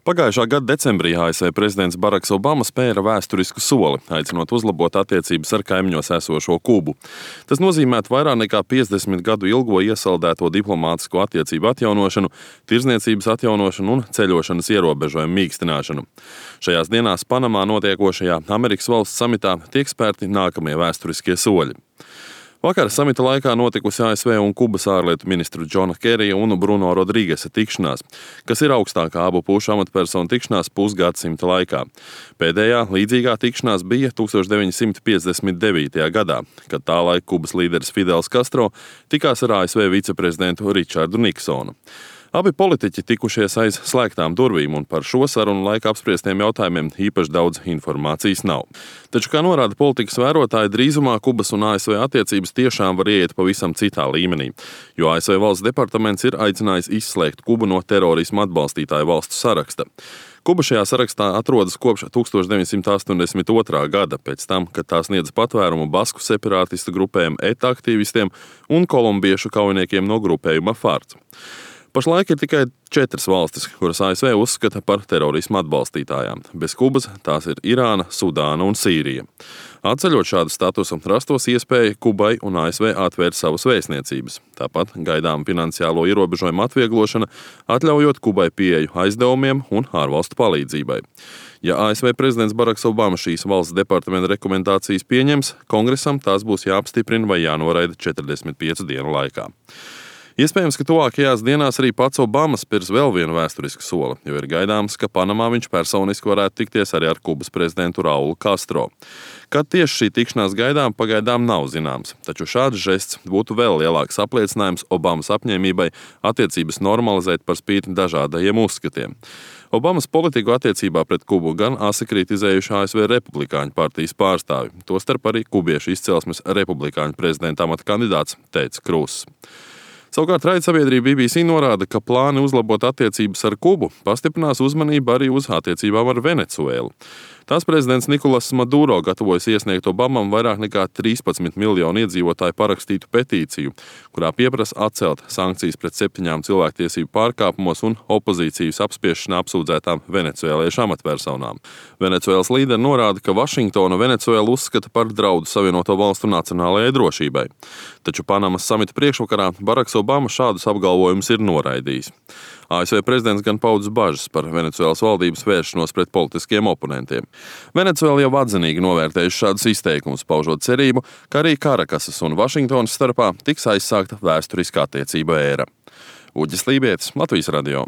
Pagājušā gada decembrī ASV prezidents Baraks Obama spēra vēsturisku soli, aicinot uzlabot attiecības ar kaimiņos esošo Kubu. Tas nozīmētu vairāk nekā 50 gadu ilgo iesaldēto diplomātisko attiecību atjaunošanu, tirdzniecības atjaunošanu un ceļošanas ierobežojumu mīkstināšanu. Šajās dienās Panamā notiekošajā Amerikas valsts samitā tiek spērti nākamie vēsturiskie soļi. Vakar samita laikā notikusi ASV un Kubas ārlietu ministru Džona Kerija un Bruno Rodrīgesa tikšanās, kas ir augstākā abu pušu amatpersonu tikšanās pusgadsimta laikā. Pēdējā līdzīgā tikšanās bija 1959. gadā, kad tā laika Kubas līderis Fidels Castro tikās ar ASV viceprezidentu Richardu Niksonu. Abi politiķi tikušies aiz slēgtām durvīm, un par šo sarunu laika apspriestiem jautājumiem īpaši daudz informācijas nav. Taču, kā norāda politikas vērotāji, drīzumā Kubas un ASV attiecības tiešām var ieiet pavisam citā līmenī, jo ASV valsts departaments ir aicinājis izslēgt Kubu no terorisma atbalstītāju valstu saraksta. Kuba šajā sarakstā atrodas kopš 1982. gada, pēc tam, kad tā sniedza patvērumu basku separātistu grupējumu ETA aktīvistiem un kolumbiešu kaujiniekiem no grupējuma FARC. Pašlaik ir tikai 4 valstis, kuras ASV uzskata par terorismu atbalstītājām. Bez Kubas tās ir Irāna, Sudāna un Sīrija. Atceļot šādu statusu, rastos iespēja Kubai un ASV atvērt savas vēstniecības. Tāpat gaidām finansiālo ierobežojumu atvieglošana, atļaujot Kubai pieeju aizdevumiem un ārvalstu palīdzībai. Ja ASV prezidents Baraks Obama šīs valsts departamenta rekomendācijas pieņems, kongresam tās būs jāapstiprina vai jānoraida 45 dienu laikā. Iespējams, ka tuvākajās dienās arī pats Obama spirs vēl vienu vēsturisku soli, jo ir gaidāms, ka Panamā viņš personiski varētu tikties arī ar Kubas prezidentu Raulu Castro. Kad tieši šī tikšanās gaidām, pagaidām nav zināms, taču šāds žests būtu vēl lielāks apliecinājums Obamas apņēmībai attiecības normalizēt par spīti dažādajiem uzskatiem. Obamas politiku attiecībā pret Kubu gan asi kritizējuši ASV Republikāņu partijas pārstāvi, tostarp arī kubiešu izcelsmes republikāņu prezidenta amata kandidāts Teds Kruss. Savukārt raidsabiedrība BBC norāda, ka plāni uzlabot attiecības ar Kubu pastiprinās uzmanību arī uz attiecībām ar Venecuēlu. Tās prezidents Nikolas Maduro gatavojas iesniegt Obamam vairāk nekā 13 miljonu iedzīvotāju parakstītu petīciju, kurā pieprasa atcelt sankcijas pret 7 cilvēktiesību pārkāpumos un opozīcijas apspiešanā apsūdzētām venecuēliešu amatpersonām. Venecuēlas līderi norāda, ka Vašingtona Venecuēlu uzskata par draudu Savienoto Valstu nacionālajai drošībai. Taču Panamas samita priekšvakarā Baraks Obama šādus apgalvojumus ir noraidījis. ASV prezidents gan paudis bažas par Venecuēlas valdības vēršanos pret politiskiem oponentiem. Venecuēla jau atzinīgi novērtējuši šādus izteikumus, paužot cerību, ka arī Karakasas un Vašingtonas starpā tiks aizsākta vēsturiskā attiecība ēra. Uģis Lībietis, Latvijas radio.